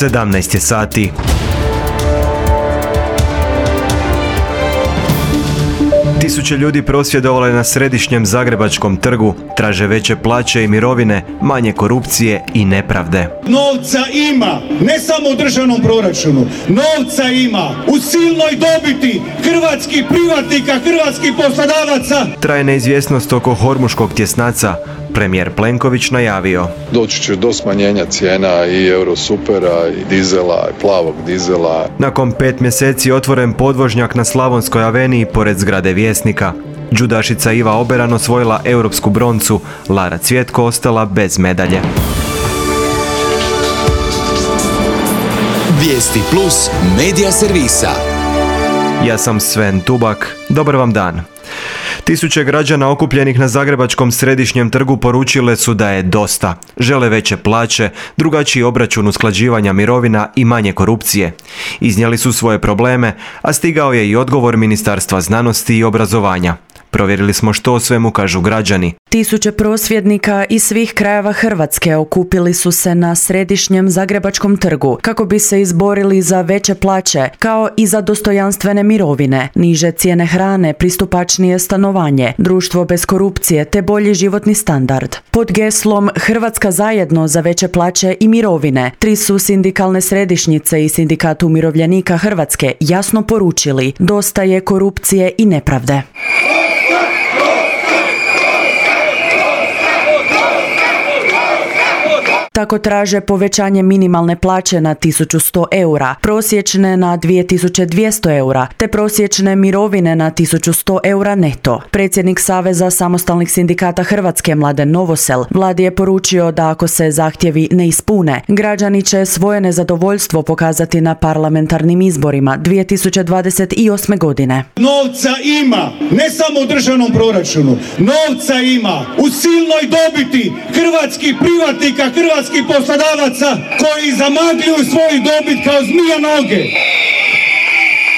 17 je sati. Tisuće ljudi prosvjedovalo je na središnjem Zagrebačkom trgu, traže veće plaće i mirovine, manje korupcije i nepravde. Novca ima, ne samo u državnom proračunu, novca ima u silnoj dobiti hrvatskih privatnika, hrvatskih poslodavaca. Traje neizvjesnost oko hormuškog tjesnaca. Premijer Plenković najavio: doći će do smanjenja cijena i Eurosupera, i dizela, i plavog dizela. Nakon 5 mjeseci otvoren podvožnjak na Slavonskoj aveniji pored zgrade Vjesnika. Džudašica Iva Oberan osvojila europsku broncu, Lara Cvjetko ostala bez medalje. Vijesti Plus medija servisa. Ja sam Sven Tubak, dobar vam dan. Tisuće građana okupljenih na Zagrebačkom središnjem trgu poručile su da je dosta. Žele veće plaće, drugačiji obračun usklađivanja mirovina i manje korupcije. Iznijeli su svoje probleme, a stigao je i odgovor Ministarstva znanosti i obrazovanja. Provjerili smo što o svemu kažu građani. Tisuće prosvjednika iz svih krajeva Hrvatske okupili su se na središnjem Zagrebačkom trgu kako bi se izborili za veće plaće, kao i za dostojanstvene mirovine, niže cijene hrane, pristupačnije stanovanje, društvo bez korupcije te bolji životni standard. Pod geslom Hrvatska zajedno za veće plaće i mirovine, 3 su sindikalne središnjice i Sindikat umirovljenika Hrvatske jasno poručili: dosta je korupcije i nepravde. Tako traže povećanje minimalne plaće na 1100 eura, prosječne na 2200 eura, te prosječne mirovine na 1100 eura neto. Predsjednik Saveza samostalnih sindikata Hrvatske Mladen Novosel vladi je poručio da ako se zahtjevi ne ispune, građani će svoje nezadovoljstvo pokazati na parlamentarnim izborima 2028. godine. Novca ima, ne samo u državnom proračunu, novca ima u silnoj dobiti hrvatskih privatnika, hrvatskih poslodavaca koji zamagljuju svoju dobit kao zmija noge,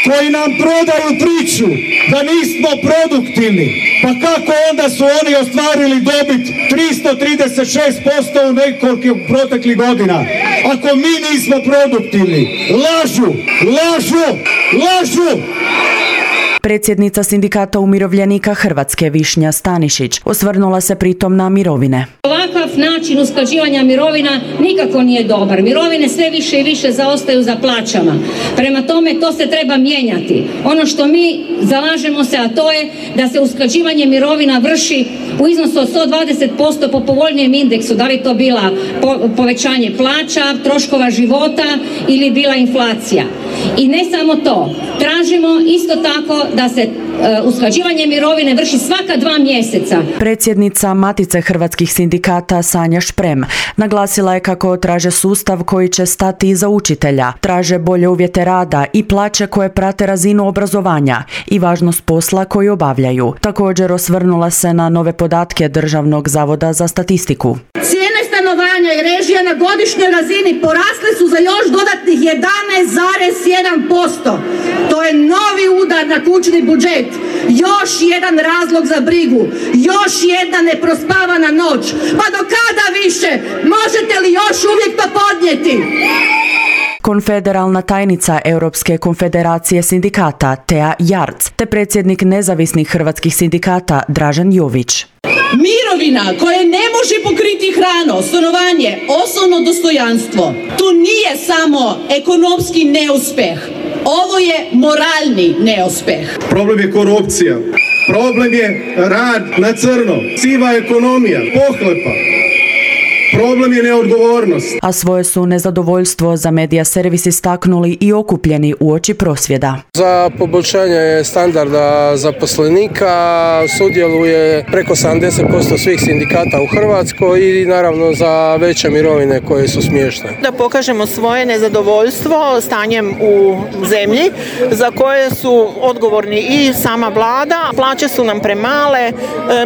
koji nam prodaju priču da nismo produktivni. Pa kako onda su oni ostvarili dobit 336% u nekoliko proteklih godina? Ako mi nismo produktivni, lažu, lažu, lažu! Predsjednica Sindikata umirovljenika Hrvatske Višnja Stanišić osvrnula se pritom na mirovine. Ovakav način usklađivanja mirovina nikako nije dobar. Mirovine sve više i više zaostaju za plaćama. Prema tome to se treba mijenjati. Ono što mi zalažemo se, a to je da se usklađivanje mirovina vrši u iznosu od 120% po povoljnijem indeksu. Da li to bila povećanje plaća, troškova života ili bila inflacija. I ne samo to. Tražimo isto tako da se usklađivanje mirovine vrši svaka 2 mjeseca. Predsjednica Matice hrvatskih sindikata Sanja Šprem naglasila je kako traže sustav koji će stati iza učitelja, traže bolje uvjete rada i plaće koje prate razinu obrazovanja i važnost posla koji obavljaju. Također osvrnula se na nove podatke Državnog zavoda za statistiku. Cijene stanovanja i režija na godišnjoj razini porasle su za još dodatnih 11,1%. To je novi udar na kućni budžet. Još jedan razlog za brigu. Još jedna neprospavana noć. Pa do kada više? Možete li još uvijek to podnijeti? Konfederalna tajnica Europske konfederacije sindikata Tea Jarc te predsjednik nezavisnih hrvatskih sindikata Dražen Jović. Mirovina koje ne može pokriti hranu, stanovanje, osnovno dostojanstvo. Tu nije samo ekonomski neuspjeh. Ovo je moralni neuspjeh. Problem je korupcija, problem je rad na crno, siva ekonomija, pohlepa. Problem je neodgovornost. A svoje su nezadovoljstvo za medija servis istaknuli i okupljeni uoči prosvjeda. Za poboljšanje standarda zaposlenika sudjeluje preko 70% svih sindikata u Hrvatskoj i naravno za veće mirovine koje su smiješne. Da pokažemo svoje nezadovoljstvo stanjem u zemlji za koje su odgovorni i sama vlada. Plaće su nam premale,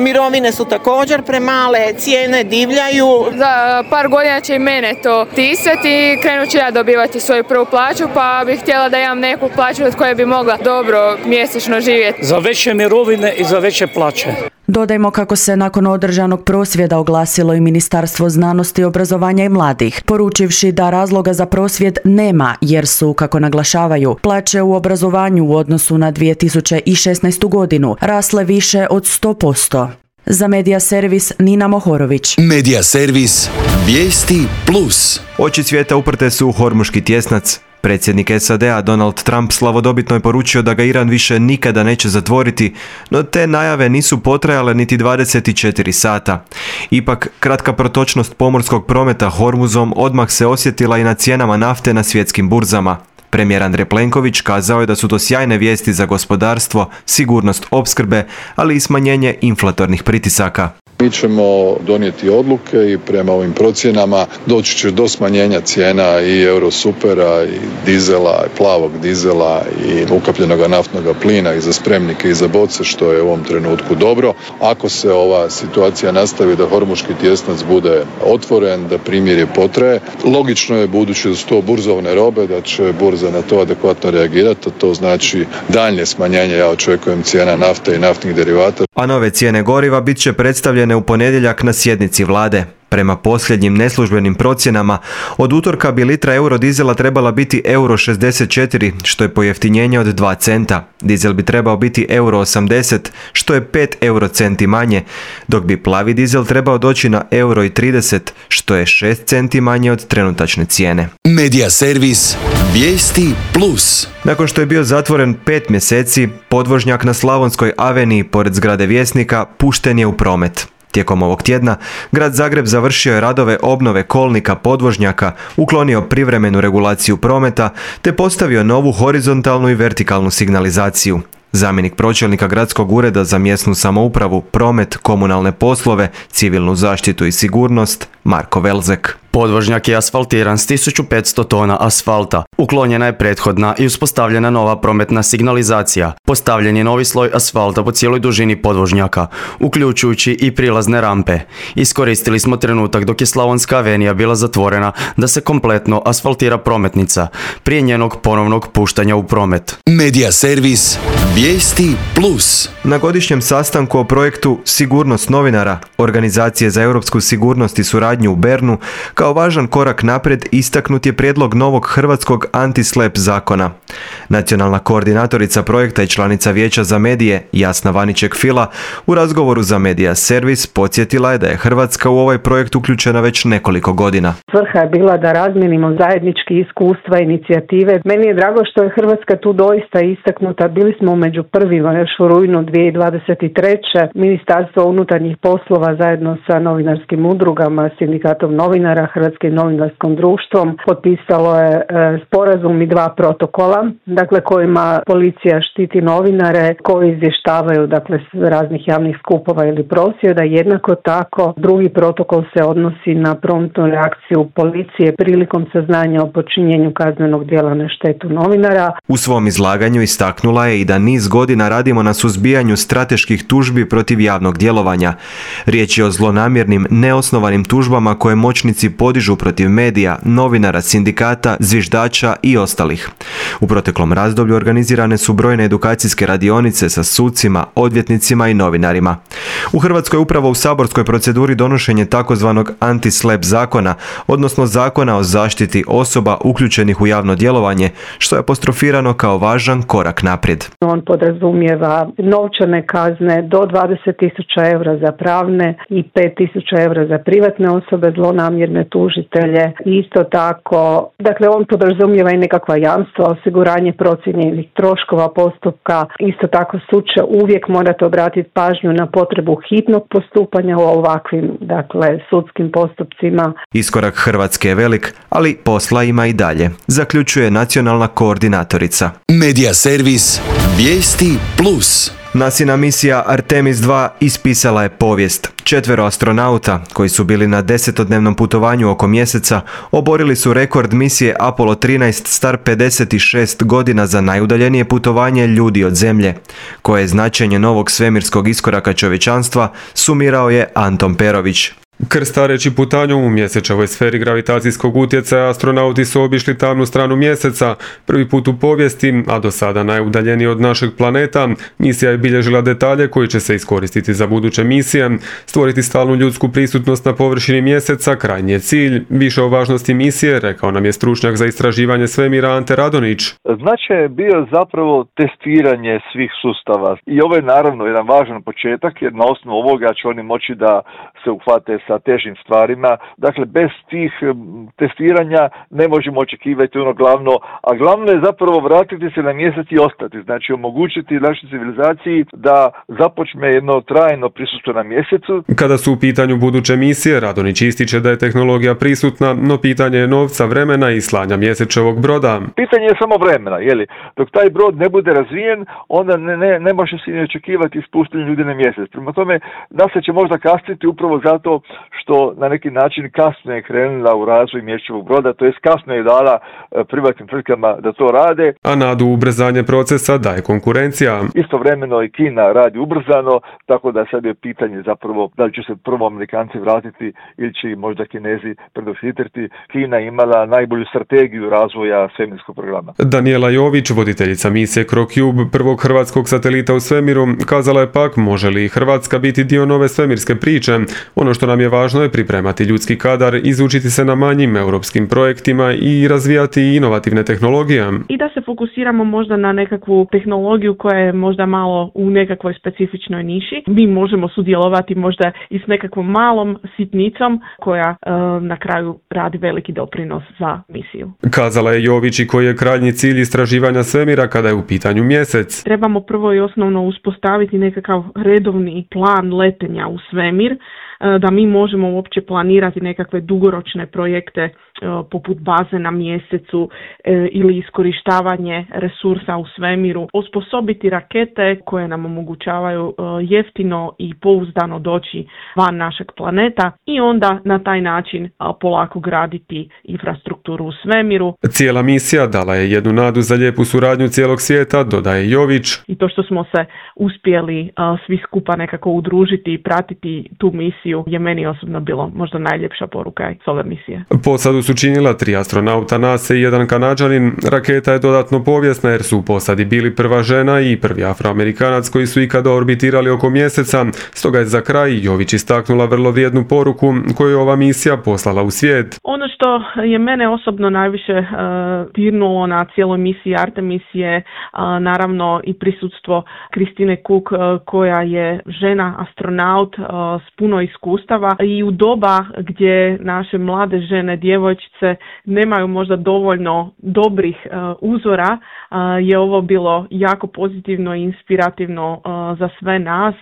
mirovine su također premale, cijene divljaju. Za par godina će i mene to tisati i krenut ću ja dobivati svoju prvu plaću, pa bih htjela da imam neku plaću od koje bi mogla dobro mjesečno živjeti. Za veće mirovine i za veće plaće. Dodajmo kako se nakon održanog prosvjeda oglasilo i Ministarstvo znanosti, obrazovanja i mladih, poručivši da razloga za prosvjed nema jer su, kako naglašavaju, plaće u obrazovanju u odnosu na 2016. godinu rasle više od 100%. Za Medija servis Nina Mohorović. Medija servis Vijesti Plus. Oči svijeta uprte su u Hormuški tjesnac. Predsjednik SAD-a Donald Trump slavodobitno je poručio da ga Iran više nikada neće zatvoriti, no te najave nisu potrajale niti 24 sata. Ipak, kratka protočnost pomorskog prometa Hormuzom odmah se osjetila i na cijenama nafte na svjetskim burzama. Premijer Andrej Plenković kazao je da su to sjajne vijesti za gospodarstvo, sigurnost opskrbe, ali i smanjenje inflatornih pritisaka. Mi ćemo donijeti odluke i prema ovim procjenama doći će do smanjenja cijena i Eurosupera i dizela, i plavog dizela i ukapljenog naftnog plina i za spremnike i za boce, što je u ovom trenutku dobro. Ako se ova situacija nastavi da Hormuški tjesnac bude otvoren, da primirje potraje, logično je, budući da su to burzovne robe, da će burza na to adekvatno reagirati, a to znači daljnje smanjenje, ja očekujem, cijena nafte i naftnih derivata. A nove cijene goriva bit će predstavljene u ponedjeljak na sjednici vlade. Prema posljednjim neslužbenim procjenama, od utorka bi litra eurodizela trebala biti euro 64, što je pojeftinjenje od 2 centa. Dizel bi trebao biti euro 80, što je 5 eurocenti manje, dok bi plavi dizel trebao doći na euro 30, što je 6 centi manje od trenutačne cijene. Medija servis Vijesti Plus. Nakon što je bio zatvoren 5 mjeseci, podvožnjak na Slavonskoj aveniji pored zgrade Vjesnika pušten je u promet. Tijekom ovog tjedna, grad Zagreb završio je radove obnove kolnika podvožnjaka, uklonio privremenu regulaciju prometa te postavio novu horizontalnu i vertikalnu signalizaciju. Zamjenik pročelnika Gradskog ureda za mjesnu samoupravu, promet, komunalne poslove, civilnu zaštitu i sigurnost, Marko Velzek. Podvožnjak je asfaltiran s 1500 tona asfalta. Uklonjena je prethodna i uspostavljena nova prometna signalizacija. Postavljen je novi sloj asfalta po cijeloj dužini podvožnjaka, uključujući i prilazne rampe. Iskoristili smo trenutak dok je Slavonska avenija bila zatvorena da se kompletno asfaltira prometnica prije njenog ponovnog puštanja u promet. Medija servis Vijesti Plus. Na godišnjem sastanku o projektu Sigurnost novinara, Organizacije za europsku sigurnost i suradnju u Bernu, kao važan korak naprijed istaknut je prijedlog novog hrvatskog anti-slap zakona. Nacionalna koordinatorica projekta i članica Vijeća za medije Jasna Vaniček-Fila u razgovoru za Medija servis podsjetila je da je Hrvatska u ovaj projekt uključena već nekoliko godina. Svrha je bila da razmijenimo zajednički iskustva i inicijative. Meni je drago što je Hrvatska tu doista istaknuta. Bili smo među prvima još u rujnu 2023. Ministarstvo unutarnjih poslova zajedno sa novinarskim udrugama, sindikatom novinara, Hrvatskim novinarskom društvom potpisalo je sporazum i 2 protokola, dakle kojima policija štiti novinare koji izvještavaju dakle s raznih javnih skupova ili prosvjeda. Jednako tako drugi protokol se odnosi na promptnu reakciju policije prilikom saznanja o počinjenju kaznenog djela na štetu novinara. U svom izlaganju istaknula je i da niz godina radimo na suzbijanju strateških tužbi protiv javnog djelovanja. Riječ je o zlonamjernim, neosnovanim tužbama koje moćnici podižu protiv medija, novinara, sindikata, zviždača i ostalih. U proteklom razdoblju organizirane su brojne edukacijske radionice sa sucima, odvjetnicima i novinarima. U Hrvatskoj upravo u saborskoj proceduri donošenje takozvanog anti-slap zakona, odnosno zakona o zaštiti osoba uključenih u javno djelovanje, što je apostrofirano kao važan korak naprijed. On podrazumijeva novčane kazne do 20.000 eura za pravne i 5.000 eura za privatne osobe, zlonamjerne tužitelje. Isto tako, dakle on podrazumijeva i nekakva jamstva, osiguranje procijenjenih troškova postupka. Isto tako sud će uvijek morati obratiti pažnju na potrebu hitnog postupanja u ovakvim, dakle, sudskim postupcima. Iskorak Hrvatske je velik, ali posla ima i dalje, zaključuje nacionalna koordinatorica. Medija servis Vijesti Plus. NASIna misija Artemis 2 ispisala je povijest. 4 astronauta, koji su bili na 10-dnevnom putovanju oko mjeseca, oborili su rekord misije Apollo 13 star 56 godina za najudaljenije putovanje ljudi od Zemlje, koje značenje novog svemirskog iskoraka čovječanstva sumirao je Anton Perović. Krstareći putanju u mjesečevoj sferi gravitacijskog utjecaja, astronauti su obišli tamnu stranu mjeseca, prvi put u povijesti, a do sada najudaljeniji od našeg planeta. Misija je bilježila detalje koji će se iskoristiti za buduće misije. Stvoriti stalnu ljudsku prisutnost na površini mjeseca krajnji je cilj. Više o važnosti misije rekao nam je stručnjak za istraživanje svemira Ante Radonić. Značaj je bio zapravo testiranje svih sustava i ovo je naravno jedan važan početak jer na osnovu ovoga će oni moći da se uhvate sa težim stvarima. Dakle, bez tih testiranja ne možemo očekivati ono glavno, a glavno je zapravo vratiti se na mjesec i ostati. Znači, omogućiti našoj civilizaciji da započne jedno trajno prisustvo na mjesecu. Kada su u pitanju buduće misije, Radonić ističe da je tehnologija prisutna, no pitanje je novca, vremena i slanja mjesečevog broda. Pitanje je samo vremena, jeli? Dok taj brod ne bude razvijen, onda ne može se ni očekivati ispuštanje ljudi na mjesec. Prema tome, NASA će možda kasniti upravo zato što na neki način kasno je krenula u razvoj mjesečevog broda, to jest kasno je dala privatnim tvrtkama da to rade. A nadu ubrzanje procesa daje konkurencija. Istovremeno i Kina radi ubrzano, tako da sad je pitanje zapravo da li će se prvo Amerikanci vratiti ili će možda Kinezi predohitriti. Kina imala najbolju strategiju razvoja svemirskog programa. Daniela Jović, voditeljica misije CroCube, prvog hrvatskog satelita u svemiru, kazala je pak može li Hrvatska biti dio nove svemirske priče. Ono što nam je važno je pripremati ljudski kadar, izučiti se na manjim europskim projektima i razvijati inovativne tehnologije. I da se fokusiramo možda na nekakvu tehnologiju koja je možda malo u nekakvoj specifičnoj niši. Mi možemo sudjelovati možda i s nekakvom malom sitnicom koja na kraju radi veliki doprinos za misiju. Kazala je Jović i koji je krajnji cilj istraživanja svemira kada je u pitanju mjesec. Trebamo prvo i osnovno uspostaviti nekakav redovni plan letenja u svemir, da mi možemo uopće planirati nekakve dugoročne projekte poput baze na mjesecu ili iskorištavanje resursa u svemiru, osposobiti rakete koje nam omogućavaju jeftino i pouzdano doći van našeg planeta i onda na taj način polako graditi infrastrukturu u svemiru. Cijela misija dala je jednu nadu za lijepu suradnju cijelog svijeta, dodaje Jović. I to što smo se uspjeli svi skupa nekako udružiti i pratiti tu misiju je meni osobno bilo možda najljepša poruka s ove misije. Posadu su činila 3 astronauta NASA i 1 Kanađanin. Raketa je dodatno povijesna jer su u posadi bili prva žena i prvi Afroamerikanac koji su ikada orbitirali oko mjeseca. Stoga je za kraj Jović istaknula vrlo vrijednu poruku koju je ova misija poslala u svijet. Ono što je mene osobno najviše dirnulo na cijeloj misiji Artemis je naravno i prisutstvo Kristine Cook koja je žena astronaut s puno iskustava i u doba gdje naše mlade žene, djevojčice nemaju možda dovoljno dobrih uzora, je ovo bilo jako pozitivno i inspirativno za sve nas.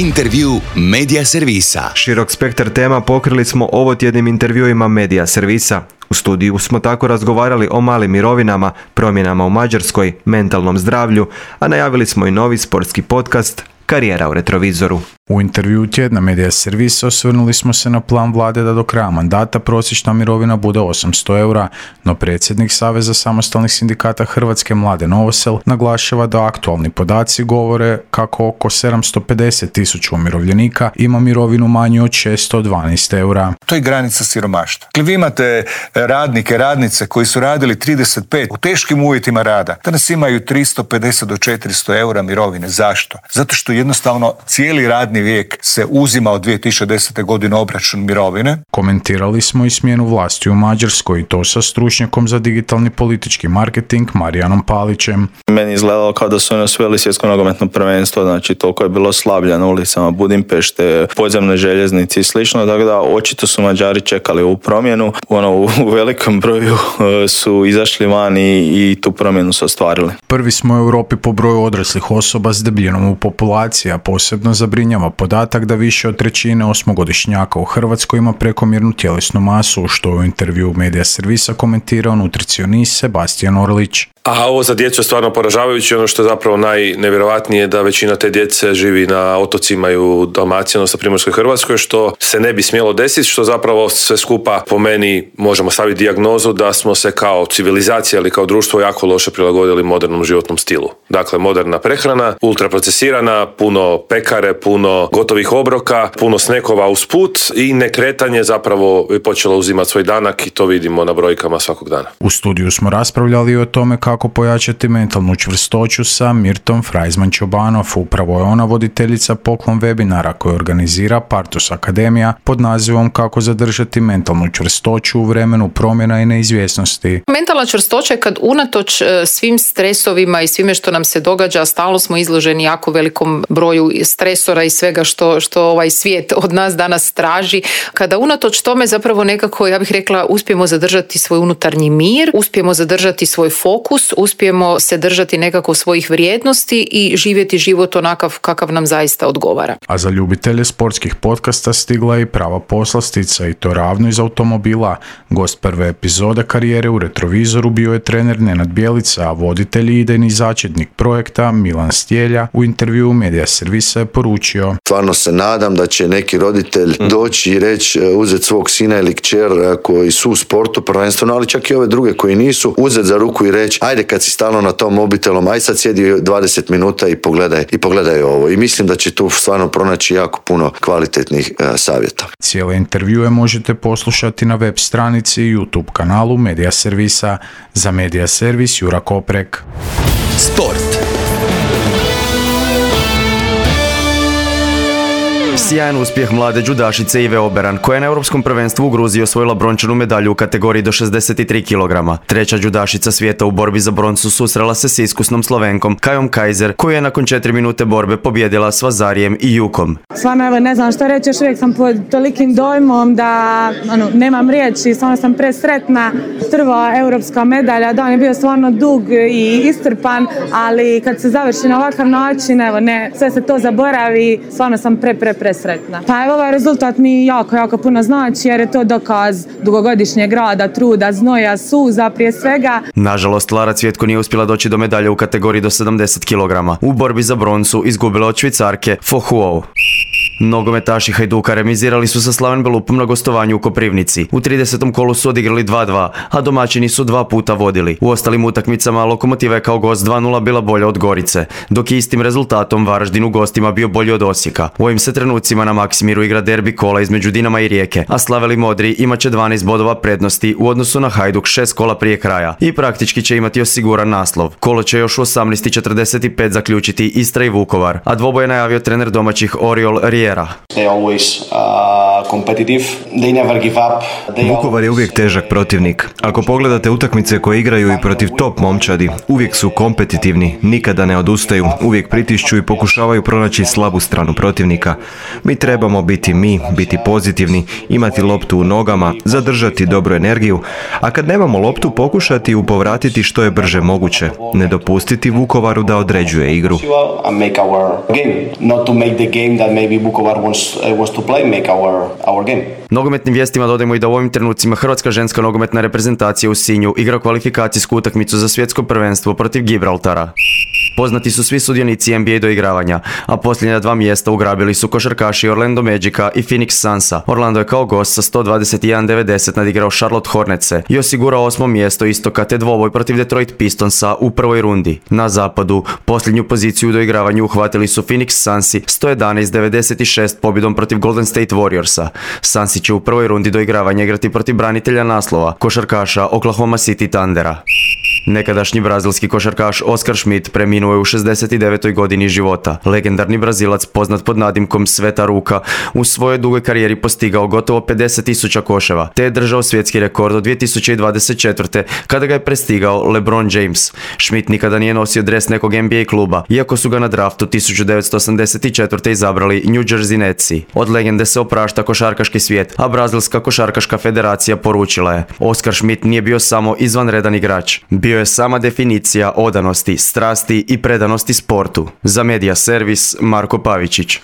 Intervju Medija Servisa. Širok spektar tema pokrili smo ovotjednim intervjuima Medija Servisa. U studiju smo tako razgovarali o malim mirovinama, promjenama u Mađarskoj, mentalnom zdravlju, a najavili smo i novi sportski podcast Karijera u retrovizoru. U intervjuu tjedna Medija Servisa osvrnuli smo se na plan vlade da do kraja mandata prosječna mirovina bude 800 eura, no predsjednik Saveza samostalnih sindikata Hrvatske Mladen Novosel naglašava da aktualni podaci govore kako oko 750.000 umirovljenika ima mirovinu manju od 612 eura. To je granica siromaštva. Vi imate radnike, radnice koji su radili 35 u teškim uvjetima rada. Danas imaju 350 do 400 eura mirovine. Zašto? Zato što jednostavno cijeli radni vijek se uzima od 2010. godine obračun mirovine. Komentirali smo i smjenu vlasti u Mađarskoj i to sa stručnjakom za digitalni politički marketing Marijanom Palićem. Meni izgledalo kao da su oni osvojili svjetsko nogometno prvenstvo, znači toliko je bilo slavlja na ulicama Budimpešte, podzemne željeznice i slično, tako da očito su Mađari čekali ovu promjenu. U velikom broju su izašli van i tu promjenu su ostvarili. Prvi smo u Europi po broju odraslih osoba s debljinom u populaciji, a posebno zabrinjava podatak da više od trećine osmogodišnjaka u Hrvatskoj ima prekomjernu tjelesnu masu, što je u intervju Medija Servisa komentirao nutricionist Sebastian Orlić. A ovo za djecu je stvarno poražavajuće. Ono što je zapravo najnevjerojatnije je da većina te djece živi na otocima i u Dalmaciji, odnosno Primorskoj Hrvatskoj, što se ne bi smjelo desiti, što zapravo sve skupa po meni možemo staviti dijagnozu da smo se kao civilizacija ili kao društvo jako loše prilagodili modernom životnom stilu. Dakle, moderna prehrana, ultraprocesirana, puno pekare, puno puno gotovih obroka, puno snekova usput i nekretanje zapravo je počelo uzimati svoj danak i to vidimo na brojkama svakog dana. U studiju smo raspravljali o tome kako pojačati mentalnu čvrstoću sa Mirtom Freizman-Čobanov. Upravo je ona voditeljica Poklon webinara koji organizira Partus Akademija pod nazivom Kako zadržati mentalnu čvrstoću u vremenu promjena i neizvjesnosti. Mentalna čvrstoća je kad unatoč svim stresovima i svime što nam se događa, stalno smo izloženi jako velikom broju stresora i svega što ovaj svijet od nas danas traži. Kada unatoč tome zapravo nekako, ja bih rekla, uspijemo zadržati svoj unutarnji mir, uspijemo zadržati svoj fokus, uspijemo se držati nekako svojih vrijednosti i živjeti život onakav kakav nam zaista odgovara. A za ljubitelje sportskih podcasta stigla je i prava poslastica i to ravno iz automobila. Gost prve epizode karijere u Retrovizoru bio je trener Nenad Bjelica, a voditelj i idejni začetnik projekta Milan Stjelja u intervjuu Medija Servisa je poručio: Stvarno se nadam da će neki roditelj doći i reći, uzeti svog sina ili kćer koji su u sportu prvenstveno, ali čak i ove druge koji nisu, uzeti za ruku i reći ajde kad si stalno na tom mobitelom, aj sad sjedi 20 minuta i pogledaj ovo. I mislim da će tu stvarno pronaći jako puno kvalitetnih savjeta. Cijele intervjue možete poslušati na web stranici i YouTube kanalu Medija Servisa. Za Medija Servis Jura Koprek. Sport. Sjajan uspjeh mlade džudašice Ive Oberan, koja je na Europskom prvenstvu u Gruziji osvojila brončanu medalju u kategoriji do 63 kg. Treća džudašica svijeta u borbi za broncu susrela se s iskusnom Slovenkom Kajom Kajzer, koja je nakon 4 minute borbe pobjedila s Vazarijem i Jukom. Stvarno, evo, ne znam što reći, još uvijek sam pod tolikim dojmom da nemam riječi, stvarno sam presretna. Prva europska medalja, da, on je bio stvarno dug i istrpan, ali kad se završi na ovakav način, evo, ne, sve se to zaboravi, stvarno sam presretna. Pa evo, ovaj rezultat mi jako puno znači, jer je to dokaz dugogodišnjeg rada, truda, znoja, suza prije svega. Nažalost, Lara Cvjetko nije uspjela doći do medalje u kategoriji do 70 kg. U borbi za broncu izgubila od Švicarke Fohuou. Nogometaši Hajduka remizirali su sa Slaven Belupom na gostovanju u Koprivnici. U 30. kolu su odigrali 2-2, a domaćini su 2 puta vodili. U ostalim utakmicama Lokomotiva je kao gost 2-0 bila bolja od Gorice, dok je istim rezultatom Varaždin u gostima bio bolji od Osijeka. U ovim se trenucima na Maksimiru igra derbi kola između Dinama i Rijeke, a Slaveli Modri imat će 12 bodova prednosti u odnosu na Hajduk 6 kola prije kraja i praktički će imati osiguran naslov. Kolo će još u 18:45 zaključiti Istra i Vukovar, a dvoboj je najavio trener domaćih Oriol Riera. Vukovar je uvijek težak protivnik. Ako pogledate utakmice koje igraju i protiv top momčadi, uvijek su kompetitivni, nikada ne odustaju, uvijek pritišću i pokušavaju pronaći slabu stranu protivnika. Mi trebamo biti pozitivni, imati loptu u nogama, zadržati dobru energiju, a kad nemamo loptu pokušati ju povratiti što je brže moguće, ne dopustiti Vukovaru da određuje igru. Nogometnim vijestima dodajemo i da u ovim trenucima Hrvatska ženska nogometna reprezentacija u Sinju igra kvalifikacijsku utakmicu za svjetsko prvenstvo protiv Gibraltara. Poznati su svi sudionici NBA doigravanja, a posljednja 2 mjesta ugrabili su košarkaši Orlando Magica i Phoenix Sunsa. Orlando je kao gost sa 121-90 nadigrao Charlotte Hornetse i osigurao 8. mjesto istoka te dvoboj protiv Detroit Pistonsa u prvoj rundi. Na zapadu posljednju poziciju u doigravanju uhvatili su Phoenix Sunsi 111-96 pobjedom protiv Golden State Warriorsa. Sunsi će u prvoj rundi doigravanja igrati protiv branitelja naslova, košarkaša Oklahoma City Thundera. Nekadašnji brazilski košarkaš Oskar Schmidt preminuo je u 69. godini života. Legendarni Brazilac, poznat pod nadimkom Sveta ruka, u svojoj dugoj karijeri postigao gotovo 50.000 koševa, te je držao svjetski rekord od 2024. kada ga je prestigao LeBron James. Schmidt nikada nije nosio dres nekog NBA kluba, iako su ga na draftu 1984. izabrali New Jersey Netsi. Od legende se oprašta košarkaški svijet, a Brazilska košarkaška federacija poručila je: Oskar Schmidt nije bio samo izvanredan igrač. Bio je sama definicija odanosti, strasti i predanosti sportu. Za Medija Servis, Marko Pavičić.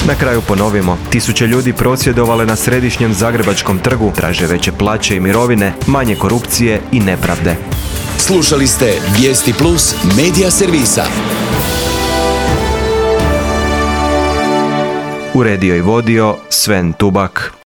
Na kraju ponovimo, tisuće ljudi prosvjedovale na središnjem Zagrebačkom trgu, traže veće plaće i mirovine, manje korupcije i nepravde. Slušali ste Vijesti Plus Medija Servisa. Uredio i vodio Sven Tubak.